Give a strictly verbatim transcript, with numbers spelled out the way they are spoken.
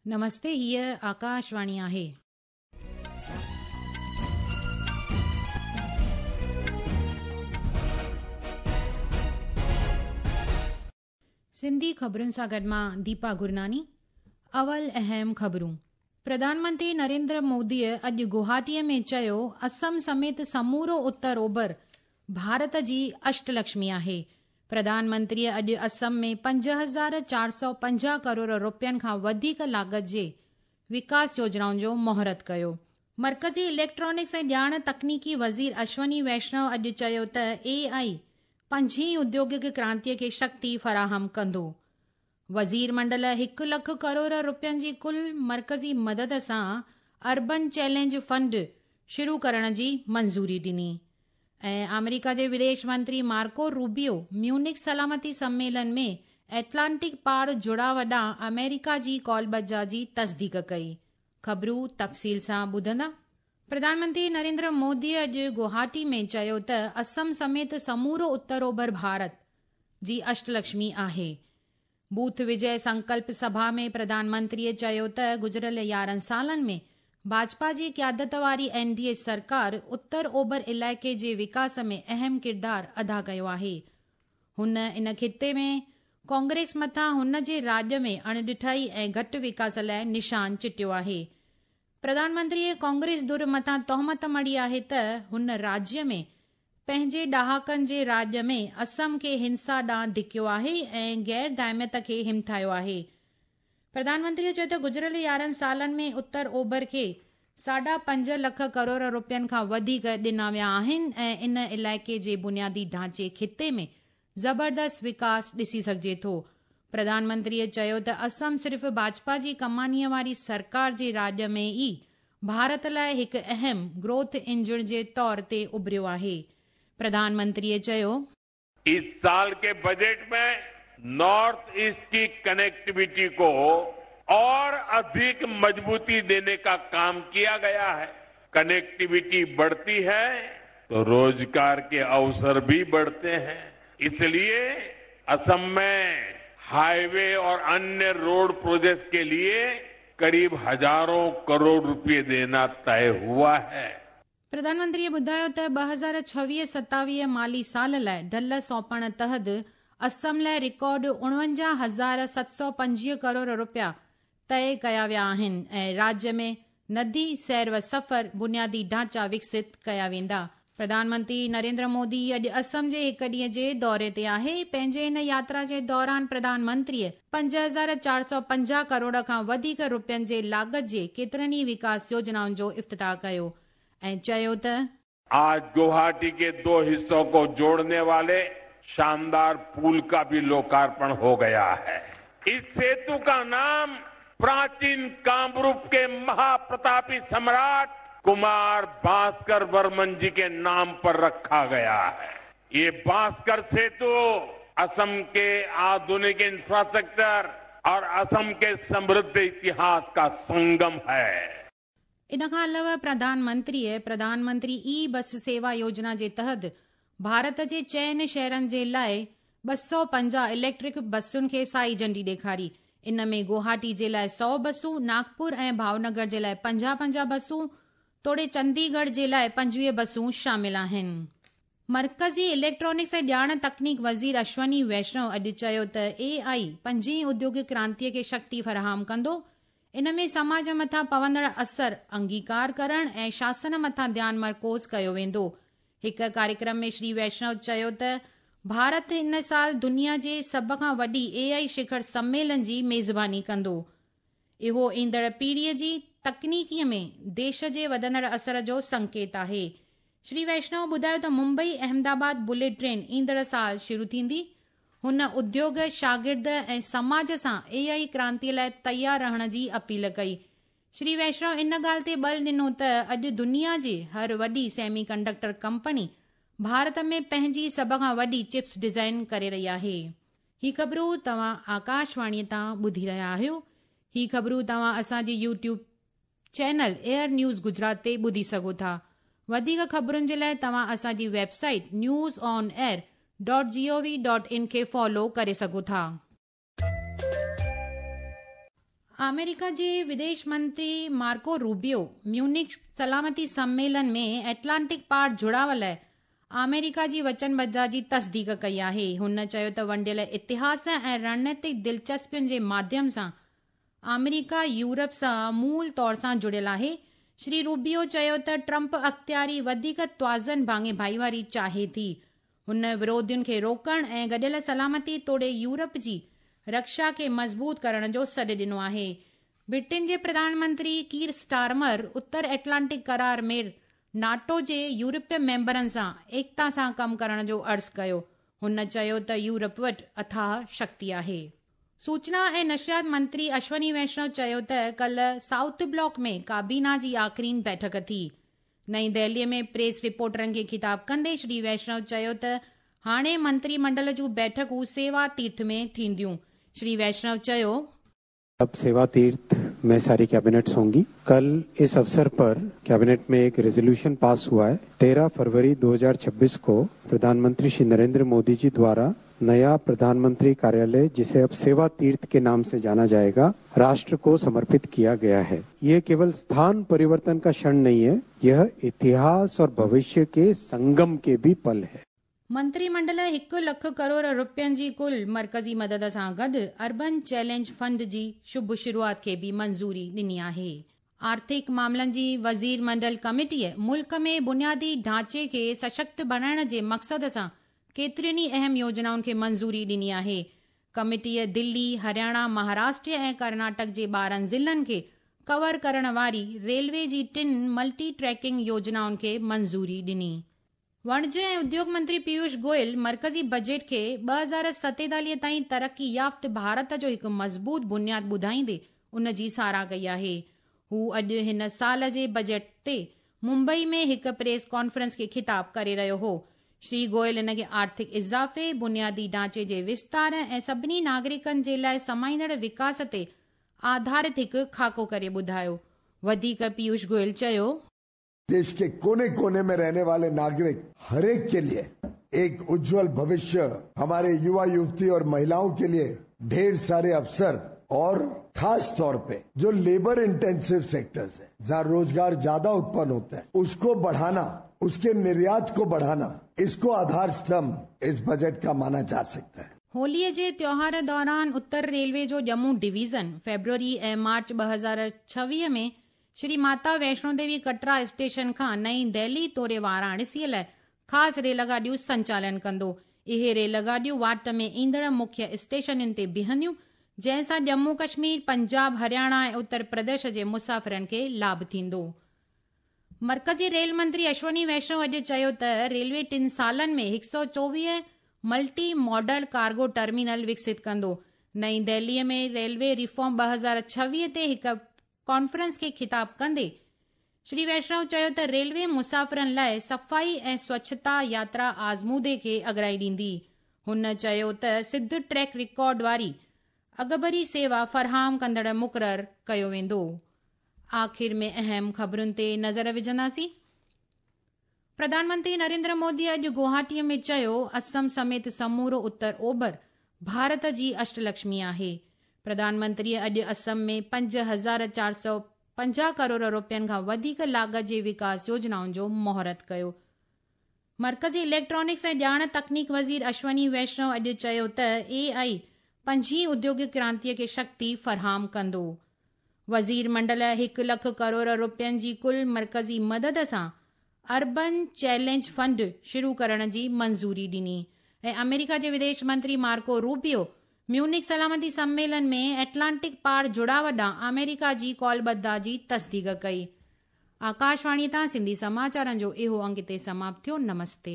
नमस्ते, हीअ आकाशवाणी आहे। सिंधी ख़बरुनि सां गॾु मां दीपा गुरनानी। अवल अहम ख़बरूं। प्रधानमंत्री नरेंद्र मोदीअ अॼु गुवाहाटीअ में चयो, असम समेत समूरो उत्तर ओभर भारत जी अष्टलक्ष्मी आहे। प्रधानमंत्रीअ अॼु असम में पंज हज़ार चारि सौ पंजाह करोड़ रुपयनि खां वधीक लागत जे विकास योजनाउनि जो मुहूर्त कयो। मर्कज़ी इलेक्ट्रॉनिक्स ऐं ॼाण तकनीकी वज़ीर अश्वनी वैष्णव अॼु चयो त ए आई पंजीं उद्योगिक क्रांतीअ खे शक्ति फराहम कंदो। वज़ीर मंडल हिकु लख करोड़ रुपयनि जी कुल मर्कज़ी मदद सां अर्बन चैलेंज फंड शुरू करण जी मंज़ूरी ॾिनी। ऐं आमेरिका जे विदेश मंत्री मार्को रूबियो म्यूनिक सलामती सम्मेलन में एटलांटिक पार जुड़ाव ॾांहुं अमेरिका जी कॉलबजा जी तस्दीक कई। ख़बरूं तफ़सील सां ॿुधंदा। प्रधानमंत्री नरेंद्र मोदी अॼु गुवाहाटी में चयो त असम समेत समूरो उत्तर ओभर भारत जी अष्टलक्ष्मी आहे। बूथ विजय संकल्प सभा में प्रधानमंत्रीअ चयो त गुज़िरियल यारहं सालनि में भाजपा जी क़यादत वारी एन डी ए सरकार उत्तर ओभर इलाइक़े जे विकास में अहम किरदारु अदा कयो आहे। हुन इन ख़िते में कांग्रेस मथां हुन जे राज में अणॾिठाई ऐं घटि विकास लाइ निशान चिटियो आहे। प्रधानमंत्रीअ कांग्रेस धुर मथां तोहमत मढ़ी आहे त हुन राज्य में पंहिंजे ॾहाकनि जे राज में असम खे हिंसा ॾांहुं धिकियो आहे ऐं गैर दाइमियत खे हिमथायो आहे। प्रधानमंत्रीअ चयो त गुज़िरियल यारहं सालनि में उत्तर ओभर खे साढा पंज लख करोड़ रुपयनि खां वधीक ॾिना विया आहिनि ऐं इन इलाइक़े जे बुनियादी ढांचे ख़िते में ज़बरदस्त विकास ॾिसी सघिजे थो। प्रधानमंत्रीअ चयो त असम सिर्फ़ु भाजपा जी कमानीअ वारी सरकार जे राज में ई भारत लाइ हिकु अहम ग्रोथ इंजन जे तौर ते उभरियो आहे। प्रधानमंत्रीअ चयो, इस साल के बजट में नॉर्थ ईस्ट की कनेक्टिविटी को और अधिक मजबूती देने का काम किया गया है। कनेक्टिविटी बढ़ती है तो रोजगार के अवसर भी बढ़ते हैं। इसलिए असम में हाईवे और अन्य रोड प्रोजेक्ट के लिए करीब हजारों करोड़ रुपए देना तय हुआ है। प्रधानमंत्रीअ ॿुधायो त ॿ हज़ार छवीह सतावीह माली साल लाइ ढल सौंपण तहत असम लाइ रिकॉर्ड उणवंजाह हज़ार सत सौ पंजवीह करोड़ रुपया तय कया विया आहिनि ऐं राज्य में नदी सैर व सफ़र बुनियादी ढांचा विकसित कया वेंदा। प्रधानमंत्री नरेंद्र मोदी अॼु असम जे हिकु ॾींहं जे दौरे ते आहे। पंहिंजे हिन यात्रा जे दौरान प्रधानमंत्रीअ पंज हज़ार चारि सौ पंजाह करोड़ खां वधीक रुपयनि जे लागत जे केतिरनि ई विकास योजनाउनि जो इफ्तिताह कयो ऐं चयो त आज गुवाहाटी के दो हिस्सों को जोड़ने वाले शानदार पुल का भी लोकार्पण हो गया है। इस सेतु का नाम प्राचीन कामरूप के महाप्रतापी सम्राट कुमार भास्कर वर्मन जी के नाम पर रखा गया है। ये भास्कर सेतु असम के आधुनिक इंफ्रास्ट्रक्चर और असम के समृद्ध इतिहास का संगम है। इन खां अलावा प्रधानमंत्रीअ प्रधानमंत्री ई बस सेवा योजना जे तहत भारत जे चइनि शहरनि जे लाइ ॿ सौ पंजाह इलेक्ट्रिक बसुनि खे साई झंडी ॾेखारी। इन में गुवाहाटी जे लाइ सौ बसूं, नागपुर ऐं भावनगर जे लाइ पंजाह पंजाह बसूं तोड़े चंडीगढ़ जे लाइ पंजवीह बसूं शामिल आहिनि। मर्कज़ी इलेक्ट्रॉनिक्स ऐं ॼाण तकनीक वज़ीर अश्वनी वैष्णव अॼु चयो त ए आई पंजीं उद्योगिक क्रांतीअ खे शक्ति फराहम कंदो। इन में समाज मथां पवंदड़ असर अंगीकार करण ऐं शासन मथां ध्यानु मरकूज़ कयो वेंदो। हिकु कार्यक्रम में श्री वैष्णव चयो त भारत इन साल दुनिया जे सभ खां वॾी ए आई शिखर सम्मेलन जी मेज़बानी कंदो। इहो ईंदड़ पीढ़ीअ जी तकनीकीअ में देश जे वधंदड़ असर जो संकेत आहे। श्री वैष्णव ॿुधायो त मुंबई अहमदाबाद बुलेट ट्रेन ईंदड़ साल शुरू थींदी। हुन उद्योग, शागिर्द ऐं समाज सां ए आई क्रांतीअ लाइ तयारु रहण जी अपील कई। श्री वैष्णव इन ॻाल्हि ते बल ॾिनो त अॼु दुनिया जी हर वॾी सेमी कंडक्टर कंपनी भारत में पंहिंजी सभ खां वॾी चिप्स डिज़ाइन करे रही आहे। ही ख़बरूं तव्हां आकाशवाणीअ तां ॿुधी रहिया आहियो। ही ख़बरूं तव्हां असांजे YouTube channel air news Gujarat ते ॿुधी सघो था। वधीक ख़बरुनि जे लाइ तव्हां असांजी website news on air dot G O V dot in खे फॉलो करे सघो था। आमेरिका जे विदेश मंत्री मार्को रूबियो म्यूनिख सलामती सम्मेलन में एटलांटिक पार जुड़ाव लाइ आमेरिका जी वचनबद्धता जी तस्दीक कई आहे। हुन चयो त वंडियल इतिहास ऐं रणनीतिक दिलचस्पियुनि जे माध्यम सां आमेरिका यूरोप सां मूल तौर सां जुड़ियल आहे। श्री रूबियो चयो त ट्रंप अख़्तियारी वधीक तवाज़न भाङे भाईवारी चाहे थी। हुन विरोधियुनि खे रोकण ऐं गॾियल सलामती तोड़े यूरोप जी रक्षा खे मज़बूत करण जो सॾु ॾिनो आहे। ब्रिटेन जे प्रधानमंत्री कीर स्टारमर उत्तर एटलांटिक करार में नाटो जे यूरोपीय मेंबरनि सां एकता सां कमु करण जो अर्ज़ु कयो। हुन चयो त यूरोप वटि अथाह शक्ति आहे। सूचना ऐं नशरियात मंत्री अश्वनी वैष्णव चयो त कल्ह साउथ ब्लॉक में काबीना जी आख़िरीन बैठक थी। नई दिल्लीअ में प्रेस रिपोर्टरनि खे ख़िताब कंदे श्री वैष्णव चयो त हाणे मंत्रीमंडल जूं बैठकूं सेवा तीर्थ में थींदियूं। श्री वैष्णव चयो, अब सेवा तीर्थ में सारी कैबिनेट्स होंगी। कल इस अवसर पर कैबिनेट में एक रेजोल्यूशन पास हुआ है। तेरह फरवरी दो हज़ार छब्बीस को प्रधानमंत्री श्री नरेंद्र मोदी जी द्वारा नया प्रधानमंत्री कार्यालय, जिसे अब सेवा तीर्थ के नाम से जाना जाएगा, राष्ट्र को समर्पित किया गया है। ये केवल स्थान परिवर्तन का क्षण नहीं है, यह इतिहास और भविष्य के संगम के भी पल है। मंत्रीमंडल हिकु लख करोड़ रुपयनि जी कुल मर्कज़ी मदद सां गॾु अर्बन चैलेंज फंड जी शुभ शुरूआत खे बि मंज़ूरी ॾिनी आहे। आर्थिक मामलनि जी वज़ीर मंडल कमेटीअ मुल्क में बुनियादी ढांचे खे सशक्त बणाइण जे मक़सद सां केतिरियुनि ई अहम योजनाउनि खे मंज़ूरी ॾिनी आहे। कमेटीअ दिल्ली, हरियाणा, महाराष्ट्र ऐं कर्नाटक जे ॿारहं ज़िलनि खे कवर करण वारी रेलवे जी टिनि मल्टी ट्रैकिंग योजनाउनि खे मंज़ूरी ॾिनी। वाणिज्य ऐं उद्योग मंत्री पीयूष गोयल मर्कज़ी बजट खे ॿ हज़ार सतेतालीह ताईं तरक़ी याफ़्त भारत जो हिकु मज़बूत बुनियाद ॿुधाईंदे उन जी साराह कई आहे। हू अॼु हिन साल जे बजट ते मुंबई में हिकु प्रेस कॉन्फ्रेंस खे ख़िताब करे रहियो हो। श्री गोयल इन खे आर्थिक इज़ाफ़े, बुनियादी ढांचे जे विस्तार ऐं सभिनी नागरिकनि जे लाइ समाईंदड़ विकास ते आधारित हिकु खाको करे ॿुधायो। वधीक पीयूष गोयल चयो, देश के कोने कोने में रहने वाले नागरिक हर एक के लिए एक उज्जवल भविष्य, हमारे युवा युवती और महिलाओं के लिए ढेर सारे अवसर और खास तौर पे जो लेबर इंटेंसिव सेक्टर्स है, जहाँ रोजगार ज्यादा उत्पन्न होता है, उसको बढ़ाना, उसके निर्यात को बढ़ाना, इसको आधार स्तंभ इस बजट का माना जा सकता है। होलीअ जे त्योहार दौरान उत्तर रेलवे जो जम्मू डिवीज़न फेब्रुअरी ऐं मार्च ॿ हज़ार छवीह में श्री माता वैष्णो देवी कटरा स्टेशन खां नई दिल्ली तोड़े वाराणसीअ लाइ ख़ासि रेलगाॾियूं संचालन कंदो। इहे रेलगाॾियूं वाट में ईंदड़ मुख्य स्टेशनुनि ते बीहंदियूं, जंहिंसां जम्मू कश्मीर, पंजाब, हरियाणा ऐं उत्तर प्रदेश जे मुसाफ़िरनि खे लाभ थींदो। मर्कज़ी रेल मंत्री अश्वनी वैष्णव अॼु चयो त रेलवे टिनि सालनि में हिकु सौ चोवीह मल्टी मॉडल कार्गो टर्मिनल विकसित कंदो। नई दिल्लीअ में रेलवे रिफॉर्म ॿ हज़ार छवीह ते हिकु कॉन्फ्रेंस खे ख़िताब कंदे श्री वैष्णव चयो त रेलवे मुसाफ़िरनि लाइ सफ़ाई ऐं स्वच्छता यात्रा आज़मूदे खे अगराई ॾींदी। हुन चयो त सिद्ध ट्रैक रिकॉर्ड वारी अगबरी सेवा फराहम कंदड़ मुक़ररु कयो वेंदो। आख़िर में अहम ख़बरुनि ते नज़र विझंदासीं। प्रधानमंत्री नरेंद्र मोदी अॼु गुवाहाटीअ में चयो, असम समेत समूरो उत्तर ओभर भारत जी अष्टलक्ष्मी आहे। प्रधानमंत्री अॼु असम में पंज हज़ार चारि सौ पंजाह करोड़ रुपयनि खां वधीक लागत जे विकास योजनाउनि जो मुहूर्त कयो। मर्कज़ी इलेक्ट्रॉनिक्स ऐं ॼाण तकनीक वज़ीर अश्वनी वैष्णव अॼु चयो त ए आई पंजीं उद्योगिक क्रांतीअ खे शक्ति फराहम कंदो। वज़ीर मंडल हिकु लख करोड़ रुपयनि जी कुल मर्कज़ी मदद सां अर्बन चैलेंज फंड शुरू करण जी मंज़ूरी ॾिनी। ऐं अमेरिका जे विदेश मंत्री मार्को रूबियो म्यूनिख सलामती सम्मेलन में एटलांटिक पार जुड़ाव ॾांहुं अमेरिका जी कॉलबद्धता जी तस्दीक कई। आकाशवाणी तां सिंधी समाचारनि जो इहो अंग हिते समाप्त थियो। नमस्ते।